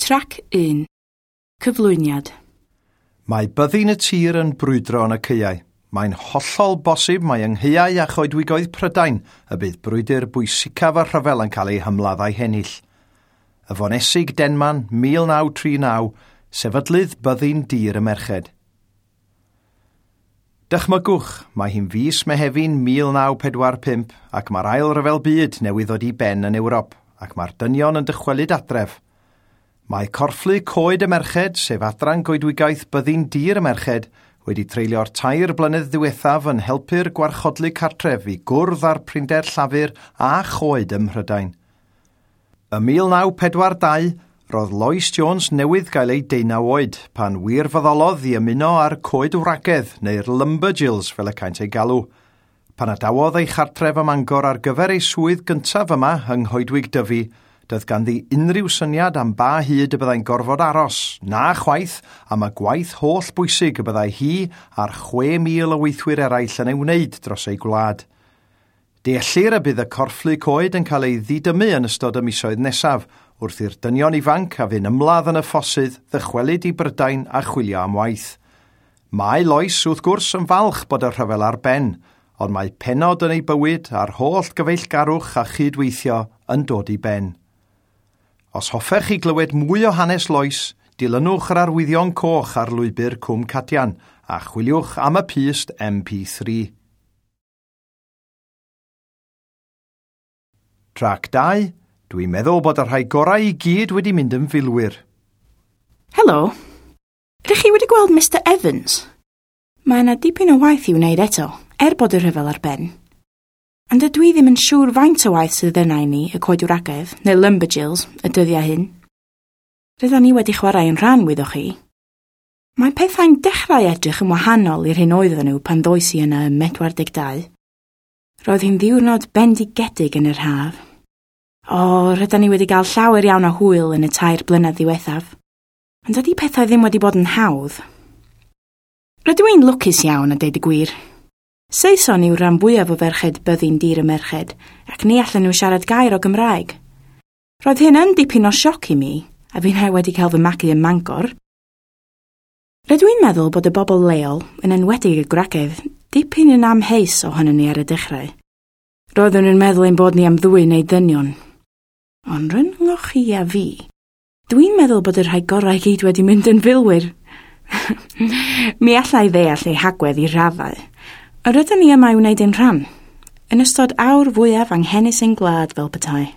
Trac 1. Cyflwyniad. Mae byddin y tir yn brwydro yn y caeau. Mae'n hollol bosib mai yng nghaeau a choedwigoedd Prydain y bydd brwydr bwysicaf y rhyfel yn cael ei hymladd a'i hennill. Y Fonesig Denman, 1939, sefydlydd byddin dir y merched. Dychmygwch, mae hi'n fis Mehefin 1945 ac mae'r ail ryfel byd newydd ddod i ben yn Ewrop ac mae'r dynion yn dychwelyd adref. Mae corfflu Coed y Merched, sef adran goedwigaeth byddin dir y merched, wedi treulio'r 3 blynedd ddiwethaf yn helpu'r gwarchodlu cartref i gwrdd â'r prinder llafur a choed ym Mhrydain. Ym 1942, roedd Lois Jones newydd gael ei 19 oed pan wirfoddolodd i ymuno â'r coed wragedd neu'r lumberjills fel y caent ei galw. Pan adawodd ei chartref ym Mangor ar gyfer ei swydd gyntaf yma yng Nghoedwig Dyfi, doedd ganddi unrhyw syniad am ba hyd y byddai'n gorfod aros, na chwaith am y gwaith holl bwysig y byddai hi a'r 6,000 o weithwyr eraill yn ei wneud dros ei gwlad. Deallir y bydd y corfflu coed yn cael ei ddidymu yn ystod y misoedd nesaf, wrth i'r dynion ifanc a fu'n ymladd yn y ffosydd ddychwelyd i Brydain a chwilio am waith. Mae Lois, wrth gwrs, yn falch bod y rhyfel ar ben, ond mae pennod yn ei bywyd a'r holl gyfeillgarwch a chydweithio yn dod i ben. Os hoffech chi glywed mwy o hanes Lois, dilynwch yr arwyddion coch ar lwybr Cwm Cadian a chwiliwch am y pyst MP3. Trac 2. Dwi'n meddwl bod y rhai gorau i gyd wedi mynd yn filwyr. Helo. Ydych chi wedi gweld Mr Evans? Mae yna dipyn o waith i'w wneud eto, er bod y rhyfel ar ben. Ond dydw i ddim yn siŵr faint o waith sydd yna i ni, y coedwragedd, neu lumberjills, y dyddiau hyn. Rydyn ni wedi chwarae yn rhan, wyddoch chi. Mae pethau'n dechrau edrych yn wahanol i'r hyn oedden nhw pan ddois i yna ym 42. Roedd hi'n ddiwrnod bendigedig yn yr haf. O, rydyn ni wedi cael llawer iawn o hwyl yn y 3 blynedd ddiwethaf. Ond dydy pethau ddim wedi bod yn hawdd. Rydw i'n lwcus iawn a deud y gwir. Saeson yw'r rhan fwyaf o ferched byddin dir y merched, ac ni allan nhw siarad gair o Gymraeg. Roedd hyn yn dipyn o sioc i mi, a finnau wedi cael fy magu ym Mangor. Rydw i'n meddwl bod y bobl leol, yn enwedig y gwragedd, dipyn yn amheus ohonon ni ar y dechrau. Roeddwn yn meddwl ein bod ni am ddwy neu ddynion. Ond rhyngoch chi a fi, dwi'n meddwl bod y rhai gorau gyd wedi mynd yn filwyr. Mi alla i ddeall eu hagwedd i raddau. Yr ydyn ni yma i wneud ein rhan, yn ystod awr fwyaf anghenus ein gwlad fel petai.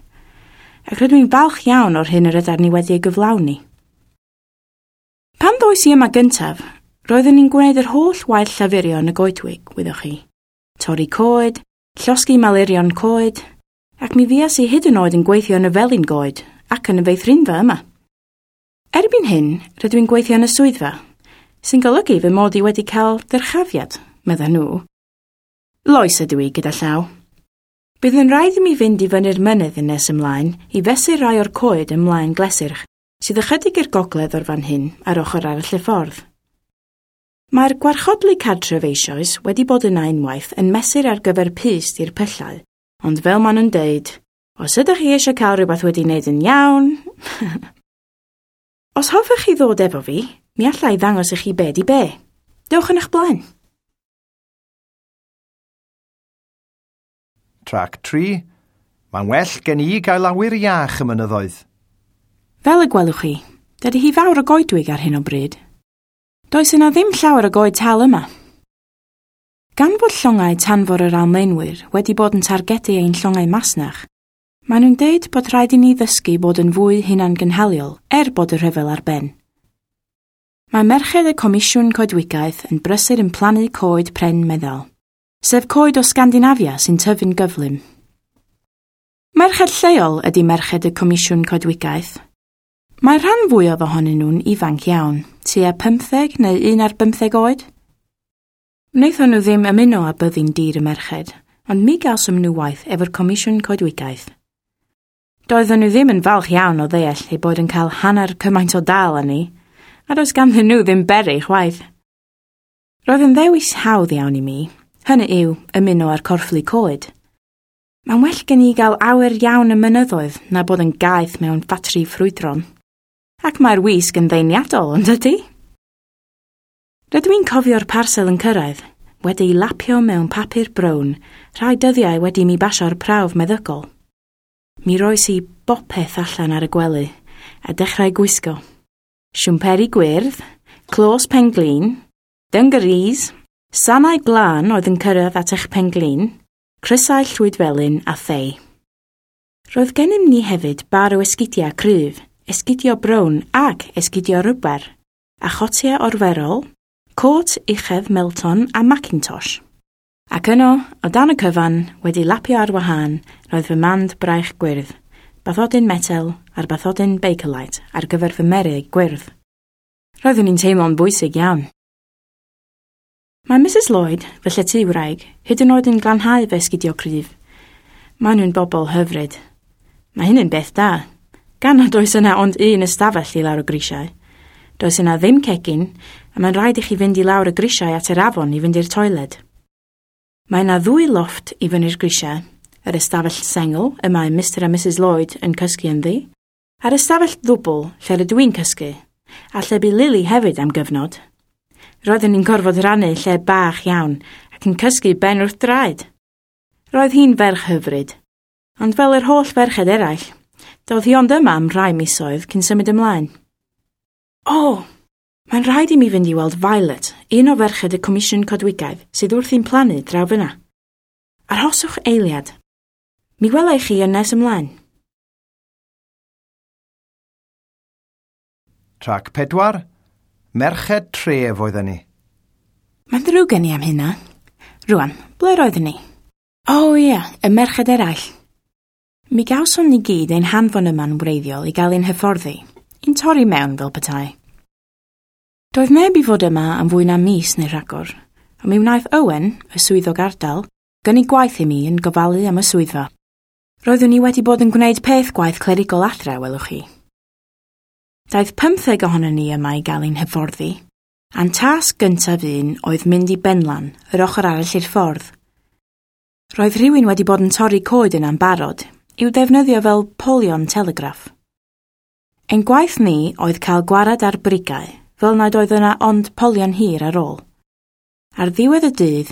Ac rydw i'n falch iawn o'r hyn yr ydyn ni wedi ei gyflawni. Pan ddois i yma gyntaf, roeddwn i'n gwneud yr holl waith llafurio yn y goedwig, wyddoch chi. Torri coed, llosgi malurion coed, ac mi fuas i hyd yn oed yn gweithio yn y felin goed ac yn y feithrinfa yma. Erbyn hyn, rydw i'n gweithio yn y swyddfa, sy'n golygu fy mod i wedi cael dyrchafiad, medda nhw. Lois ydw i gyda llaw. Bydd yn rhaid i mi fynd i fyny'r mynydd yn nes ymlaen i fesur rai o'r coed ymlaen Glesyrch, sydd ychydig i'r gogledd o'r fan hyn ar ochr arall y ffordd. Mae'r gwarchodlu cartref eisoes wedi bod yna unwaith yn mesur ar gyfer pyst i'r pyllau, ond fel maen nhw'n deud, os ydych chi eisiau cael rhywbeth wedi wneud yn iawn... Os hoffech chi ddod efo fi, mi alla i ddangos i chi be di be. Dewch yn eich blaen. Trac 3. Mae'n well gen i gael awyr iach y mynyddoedd. Fel y gwelwch chi, dydy hi fawr o goedwig ar hyn o bryd. Does yna ddim llawer o goed tal yma. Gan fod llongau tanfor yr Almaenwyr wedi bod yn targedu ein llongau masnach, maen nhw'n deud bod rhaid i ni ddysgu bod yn fwy hunangynhaliol er bod y rhyfel ar ben. Mae merched y Comisiwn Coedwigaeth yn brysur yn plannu coed pren meddal, sef coed o Sgandinafia sy'n tyfu'n gyflym. Merched lleol ydy merched y Comisiwn Coedwigaeth. Mae rhan fwyaf ohonyn nhw'n ifanc iawn, tua 15 neu 11 oed. Wnaethon nhw ddim ymuno â byddin dir y merched, ond mi gawsom nhw waith efo'r Comisiwn Coedwigaeth. Doedden nhw ddim yn falch iawn o ddeall eu bod yn cael hanner cymaint o dal â ni, a does ganddyn nhw ddim beri chwaith. Roedd yn ddewis hawdd iawn i mi, hynny yw ymuno â'r corfflu coed. Mae'n well gen i gael awyr iawn y mynyddoedd na bod yn gaeth mewn ffatri ffrwydron. Ac mae'r wisg yn ddeiniadol, yn dydy? Rydw i'n cofio'r parsel yn cyrraedd, wedi'i lapio mewn papur brown, rhai dyddiau wedi mi basio'r prawf meddygol. Mi roes i bopeth allan ar y gwely, a dechrau gwisgo. Siwmperi gwyrdd, clos penglin, dungarees, sanau glân oedd yn cyrraedd at eich penglin, crysau llwydfelyn a thei. Roedd gennym ni hefyd bar o esgidiau cryf, esgidio brown ac esgidio rwber, a chotiau orferol, cot uchef Melton a Macintosh. Ac yno, o dan y cyfan, wedi lapio ar wahân, roedd fy mand braich gwyrdd, bathodyn metel a'r bathodyn Bakelite ar gyfer fy merig gwyrdd. Roeddwn i'n teimlo'n bwysig iawn. Mae Mrs Lloyd, fy lletywraig, hyd yn oed yn glanhau fy esgidio cryf. Maen nhw'n bobl hyfryd. Mae hyn yn beth da, gan nad oes yna ond un ystafell i lawr y grisiau. Does yna ddim cegin, a mae'n rhaid i chi fynd i lawr y grisiau at yr afon i fynd i'r toiled. Mae yna ddwy lofft i fyny'r grisiau, yr ystafell sengl y mae Mr a Mrs Lloyd yn cysgu ynddi, a'r ystafell ddwbl lle rydw i'n cysgu, a lle bu Lily hefyd am gyfnod. Roeddwn i'n gorfod rhannu lle bach iawn ac yn cysgu ben wrth draed. Roedd hi'n ferch hyfryd, ond fel yr holl ferched eraill, doedd hi ond yma am rai misoedd cyn symud ymlaen. O, mae'n rhaid i mi fynd i weld Violet, un o ferched y Comisiwn Coedwigaeth sydd wrthi'n plannu draw fyna. Arhoswch eiliad. Mi wela i chi yn nes ymlaen. Trac 4. Merched tref oedden ni. Mae'n ddrwg gen i am hynna. Rwan, ble roedden ni? O ia, y merched eraill. Mi gawson ni gyd ein hanfon yma'n wreiddiol i gael ein hyfforddi, i'n torri mewn fel petai. Doedd neb i fod yma am fwy na mis neu rhagor, a mi wnaeth Owen, y swyddog ardal, gynnig gwaith i mi yn gofalu am y swyddfa. Roeddwn i wedi bod yn gwneud peth gwaith clerigol adre, welwch chi. Daeth 15 ohonon ni yma i gael ein hyfforddi, a'n tasg gyntaf un oedd mynd i Benlan, yr ochr arall i'r ffordd. Roedd rhywun wedi bod yn torri coed yna'n barod, i'w defnyddio fel polion telegraff. Ein gwaith ni oedd cael gwarad ar brigau, fel nad oedd yna ond polion hir ar ôl. Ar ddiwedd y dydd,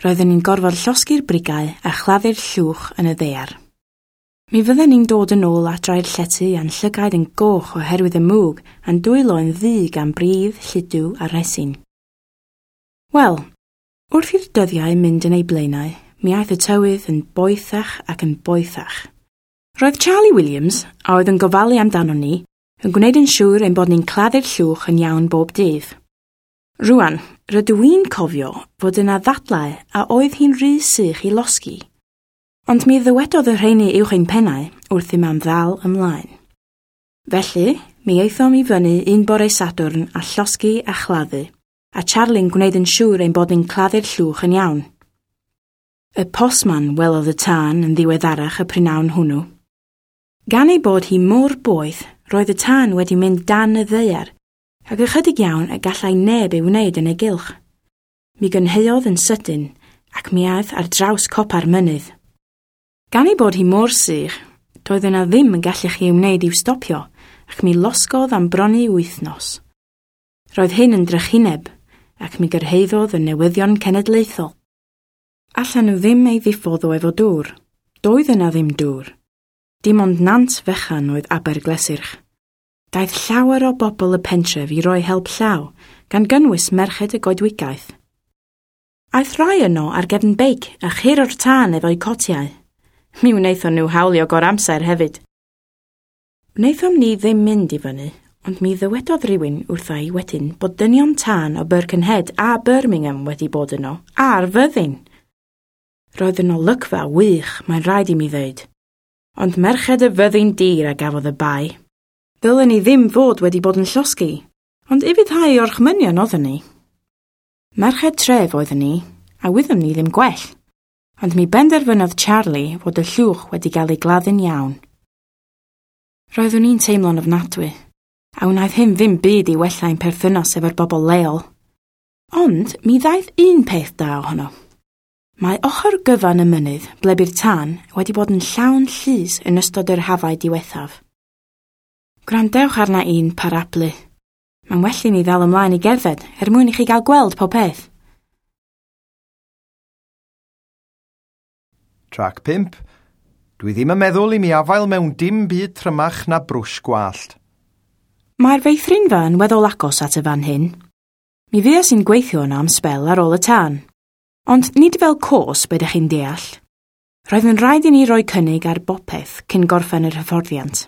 roedden ni'n gorfod llosgi'r brigau a chladdu'r llwch yn y ddaear. Mi fydden ni'n dod yn ôl adra i'r llety a'n llygaid yn goch oherwydd y mwg a'n dwylo yn ddu gan bridd, lludw a resin. Wel, wrth i'r dyddiau mynd yn eu blaenau, mi aeth y tywydd yn boethach ac yn boethach. Roedd Charlie Williams, a oedd yn gofalu amdano ni, yn gwneud yn siŵr ein bod ni'n claddu'r llwch yn iawn bob dydd. Rwan, rydw i'n cofio fod yna ddadlau a oedd hi'n rhy sych i losgi. Ond mi ddywedodd y rheini uwch ein pennau wrthym am ddal ymlaen. Felly, mi aethom i fyny un bore Sadwrn a llosgi a chladdu, a Charlie'n gwneud yn siŵr ein bod ni'n claddu'r llwch yn iawn. Y postman welodd y tân yn ddiweddarach y prynhawn hwnnw. Gan ei bod hi mor boeth, roedd y tân wedi mynd dan y ddaear, ac ychydig iawn y gallai neb ei wneud yn ei gylch. Mi gynheuodd yn sydyn, ac mi aeth ar draws copa'r mynydd. Gan ei bod hi mor sych, doedd yna ddim yn gallu chi ei wneud i'w stopio, ac mi losgodd am bron i wythnos. Roedd hyn yn drychineb, ac mi gyrhaeddodd y newyddion cenedlaethol. Allan nhw ddim ei ddiffodd o efo dŵr. Doedd yna ddim dŵr. Dim ond nant fechan oedd Aberglesyrch. Daeth llawer o bobl y pentref i roi help llaw, gan gynnwys merched y goedwigaeth. Aeth rai yno ar gefn beic a churo'r tân efo'u cotiau. Mi wnaethon nhw hawlio goramser hefyd. Wnaethom ni ddim mynd i fyny, ond mi ddywedodd rhywun wrtha i wedyn bod dynion tân o Birkenhead a Birmingham wedi bod yno, a'r fyddin. Roedd yn olygfa wych, mae'n rhaid i mi ddweud. Ond merched y fyddin dir a gafodd y bai. Ddylen ni ddim fod wedi bod yn llosgi, ond ufuddhau orchmynion oedden ni. Merched tref oedden ni, a wyddom ni ddim gwell. Ond mi benderfynodd Charlie fod y llwch wedi gael ei gladdu'n iawn. Roeddwn i'n teimlo'n ofnadwy, a wnaeth hyn ddim byd i wella ein perthynas efo'r bobl leol. Ond mi ddaeth un peth da ohono. Mae ochr gyfan y mynydd, ble bu'r tân, wedi bod yn llawn llus yn ystod yr hafau diwethaf. Gwrandewch arna i'n parablu. Mae'n well i ni ddal ymlaen i gerdded er mwyn i chi gael gweld pob peth. Trac 5. Dwi ddim yn meddwl i mi afael mewn dim byd trymach na brwsh gwallt. Mae'r feithrinfa yn weddol agos at y fan hyn. Mi fues i'n gweithio yna am sbel ar ôl y tân. Ond nid fel cos be ydych chi'n deall. Roedd yn rhaid i ni roi cynnig ar bopeth cyn gorffen yr hyfforddiant.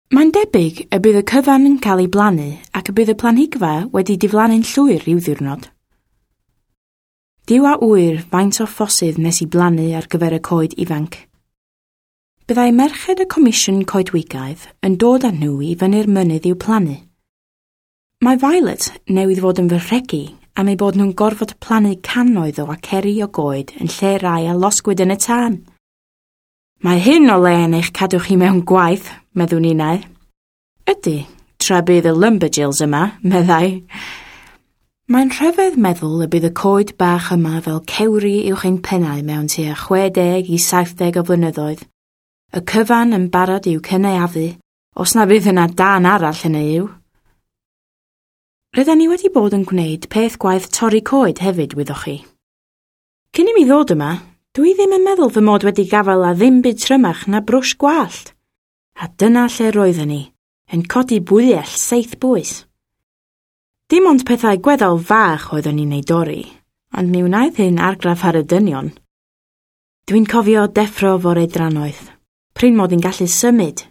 Mae'n debyg y bydd y cyfan yn cael ei blannu ac y bydd y planhigfa wedi diflannu'n llwyr rhyw ddiwrnod. Duw a ŵyr faint o ffosydd nes i blannu ar gyfer y coed ifanc. Byddai merched y Comisiwn Coedwigaeth yn dod â nhw i fyny'r mynydd i'w plannu. Mae Violet newydd fod yn fy rhegi am ei bod nhw'n gorfod plannu cannoedd o aceri o goed yn lle rai a losgwyd yn y tân. Mae hyn o le yn eich cadw chi mewn gwaith, meddwn innau. Ydy, tra bydd y lumberjills yma, meddai. Mae'n rhyfedd meddwl y bydd y coed bach yma fel cewri uwch ein pennau mewn tua 60 i 70 o flynyddoedd. Y cyfan yn barod i'w cynaeafu, os na fydd yna dân arall hynny yw. Rydyn ni wedi bod yn gwneud peth gwaith torri coed hefyd, wyddoch chi. Cyn i mi ddod yma, dwi ddim yn meddwl fy mod wedi gafael a ddim byd trymach na brwsh gwallt. A dyna lle roedden ni, yn codi bwyell 7 bwys. Dim ond pethau gweddol fach oeddwn ni'n ei dorri, ond mi wnaeth hyn argraff ar y dynion. Dwi'n cofio deffro fore drannoeth, prin mod i'n gallu symud.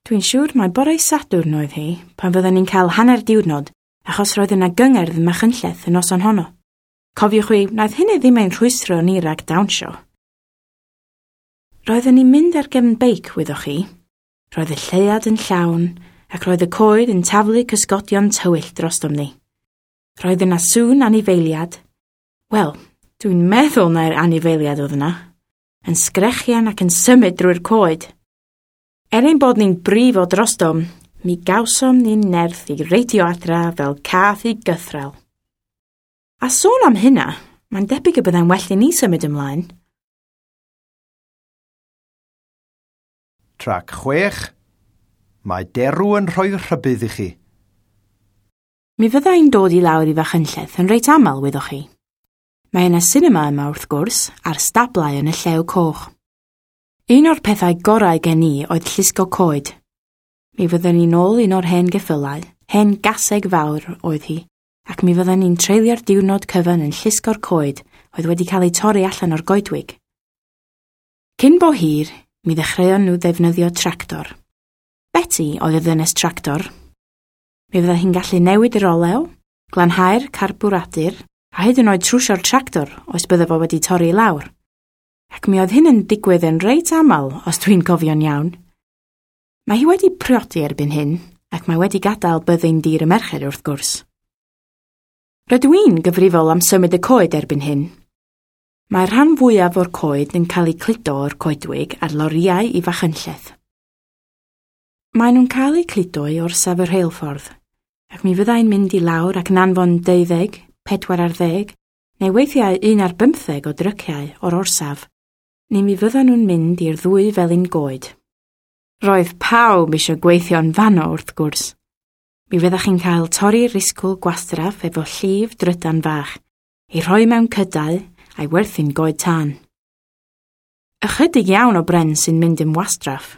Dwi'n siŵr mai bore Sadwrn oedd hi, pan fydden ni'n cael hanner diwrnod, achos roedd yna gyngerdd ym Machynlleth y noson honno. Cofiwch chi, wnaeth hynny ddim ein rhwystro ni rhag dawnsio. Roedden ni'n mynd ar gefn beic, wyddoch chi. Roedd y lleuad yn llawn, ac roedd y coed yn taflu cysgodion tywyll drostom ni. Roedd yna sŵn anifeiliad. Wel, dwi'n meddwl na'r anifeiliad oedd yna. Yn sgrechian ac yn symud drwy'r coed. Er ein bod ni'n brifo drostom, mi gawsom ni'n nerth i reidio adra fel cath i gythrel. A sôn am hynna, mae'n debyg y byddai'n well i ni symud ymlaen. Trac 6. Mae derw yn rhoi rhybudd i chi. Mi fyddai'n dod i lawr i Fachynlleth yn reit aml, wyddoch chi. Mae yna sinema yma wrth gwrs, a'r stablau yn y Llew Coch. Un o'r pethau gorau gen i oedd llusgo coed. Mi fydden ni'n ôl un o'r hen geffylau, hen gaseg fawr oedd hi, ac mi fydden ni'n treulio'r diwrnod cyfan yn llusgo'r coed oedd wedi cael eu torri allan o'r goedwig. Cyn bo hir, mi ddechreuon nhw ddefnyddio tractor. Betty oedd y ddynes tractor. Mi fydda hi'n gallu newid yr olew, glanhau'r carbwradur, a hyd yn oed trwsio'r tractor os bydde fo wedi torri i lawr. Ac mi oedd hyn yn digwydd yn reit aml, os dwi'n cofio'n iawn. Mae hi wedi priodi erbyn hyn, ac mae wedi gadael byddin dir y merched wrth gwrs. Rydw i'n gyfrifol am symud y coed erbyn hyn. Mae'r rhan fwyaf o'r coed yn cael eu cludo o'r coedwig ar lorïau i Fachynlleth. Maen nhw'n cael eu cludo i orsaf y rheilffordd, ac mi fyddai'n mynd i lawr ac yn anfon 12, 14, neu weithiau 15 o dryciau o'r orsaf, neu mi fyddan nhw'n mynd i'r ddwy felin goed. Roedd pawb eisiau gweithio'n fanno wrth gwrs. Mi fyddech chi'n cael torri'r risgl gwastraff efo llif drydan fach, ei rhoi mewn cydau a'i werthu'n goed tân. Ychydig iawn o bren sy'n mynd yn wastraff.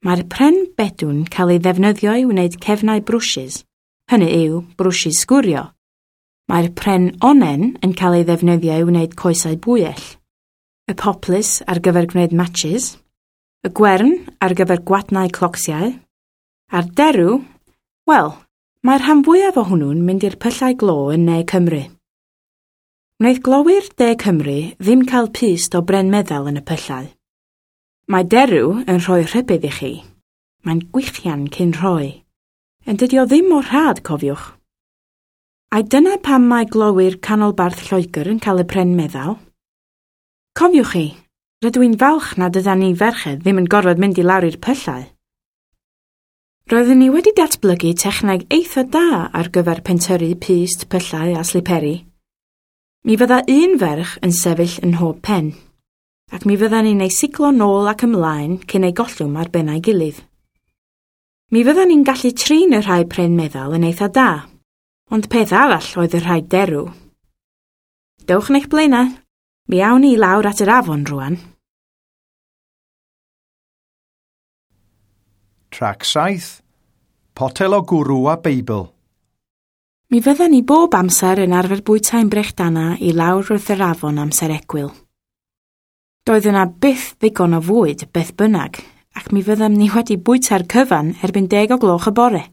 Mae'r pren bedw'n cael ei ddefnyddio i wneud cefnau brwshys, hynny yw brwshys sgwrio. Mae'r pren onnen yn cael ei ddefnyddio i wneud coesau bwyell, y poplys ar gyfer gwneud matches, y gwern ar gyfer gwadnau clocsiau, a'r derw, wel, mae'r rhan fwyaf o hwnnw'n mynd i'r pyllau glo yn Ne Cymru. Wnaeth glowyr De Cymru ddim cael pyst o bren meddal yn y pyllau. Mae derw yn rhoi rhybudd i chi. Mae'n gwichian cyn rhoi. Yn dydi o ddim mor rhad, cofiwch. Ai dyna pam mae glowyr canolbarth Lloegr yn cael y pren meddal? Cofiwch chi, rydw i'n falch nad ydan ni ferched ddim yn gorfod mynd i lawr i'r pyllau. Roeddwn ni wedi datblygu techneg eitha da ar gyfer pentyrru pyst, pyllau a sliperi. Mi fydda un ferch yn sefyll yn mhob pen, ac mi fydda ni'n ei siglo nôl ac ymlaen cyn ei gollwm ar bennau gilydd. Mi fyddan ni'n gallu trin y rhai pren meddal yn eitha da, ond peth arall oedd y rhai derw. Dewch yn eich blaenau, mi awn ni i lawr at yr afon rwan. Trac 7. Potel o gwrw a Beibl. Mi fyddan ni bob amser yn arfer bwytau'n brechdana i lawr wrth yr afon amser egwyl. Doedd yna byth ddigon o fwyd beth bynnag, ac mi fyddem ni wedi bwyta'r cyfan erbyn 10 o gloch y bore.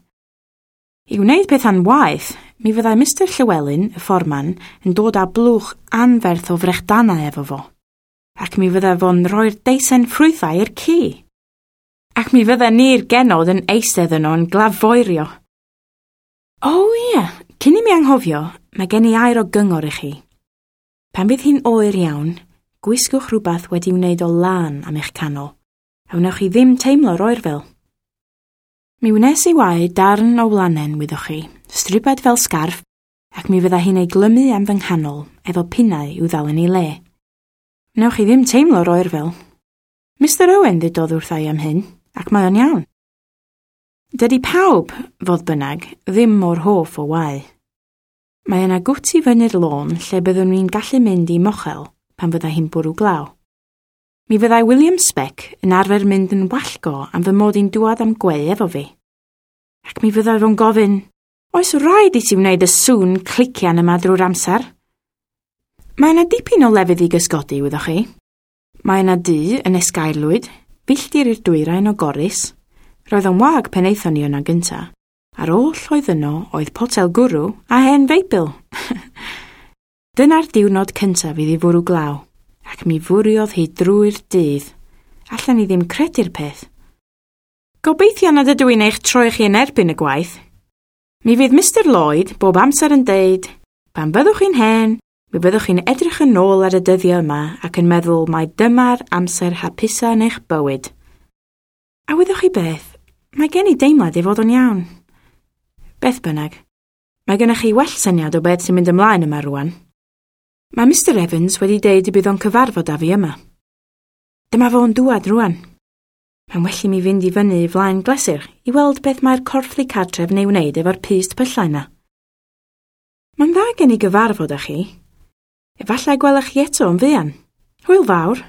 I wneud pethau'n waeth, mi fyddai Mr Llywelyn, y fforman, yn dod â blwch anferth o frechdanau efo fo, ac mi fyddai fo'n rhoi'r deisen ffrwythau i'r ci. Ac mi fydden ni'r genod yn eistedd yno yn glafoerio. O ie, cyn i mi anghofio, mae gen i air o gyngor i chi. Pan fydd hi'n oer iawn, gwisgwch rhywbeth wedi wneud o lân am eich canol, a wnewch chi ddim teimlo'r oerfel. Mi wnes i wau darn o wlanen, wyddoch chi, stribed fel sgarff, ac mi fydda hi'n ei glymu am fy nghanol efo pinnau i'w ddal yn ei le. Wnewch chi ddim teimlo'r oerfel. Mr Owen ddudodd wrtha i am hyn, ac mae o'n iawn. Dydy pawb, fodd bynnag, ddim mor hoff o wau. Mae yna gwt i fyny'r lôn lle byddwn ni'n gallu mynd i mochel pan fydda hi'n bwrw glaw. Mi fyddai William Speck yn arfer mynd yn wallgo am fy mod i'n dŵad am gweu efo fi. Ac mi fyddai fo'n gofyn, oes rhaid i ti wneud y sŵn clician yma drwy'r amser? Mae yna dipyn o lefydd i gysgodi, wyddoch chi. Mae yna dŷ yn Esgairlwyd, filltir i'r dwyrain o Gorris. Roedd o'n wag pen aethon ni yna gynta. A'r oll oedd yno oedd potel gwrw a hen Feibl. Dyna'r diwrnod cyntaf iddi fwrw glaw, ac mi fwriodd hi drwy'r dydd. Allan ni ddim credu'r peth. Gobeithio nad ydw i'n eich troi chi yn erbyn y gwaith. Mi fydd Mr Lloyd bob amser yn deud, pan fyddwch chi'n hen, mi fyddwch chi'n edrych yn ôl ar y dyddiau yma ac yn meddwl mai dyma'r amser hapusa yn eich bywyd. A wyddoch chi beth? Mae gen i deimlad ei fod o'n iawn. Beth bynnag, mae gennych chi well syniad o beth sy'n mynd ymlaen yma rwan. Mae Mr Evans wedi deud y bydd o'n cyfarfod â fi yma. Dyma fo'n dŵad rwan. Mae'n well i mi fynd i fyny i flaen Glesir i weld beth mae'r corfflu cartref neu wneud efo'r pyst pyllau yna. Mae'n dda gen i gyfarfod â chi. Efallai gwelech chi eto yn fuan. Hwyl fawr.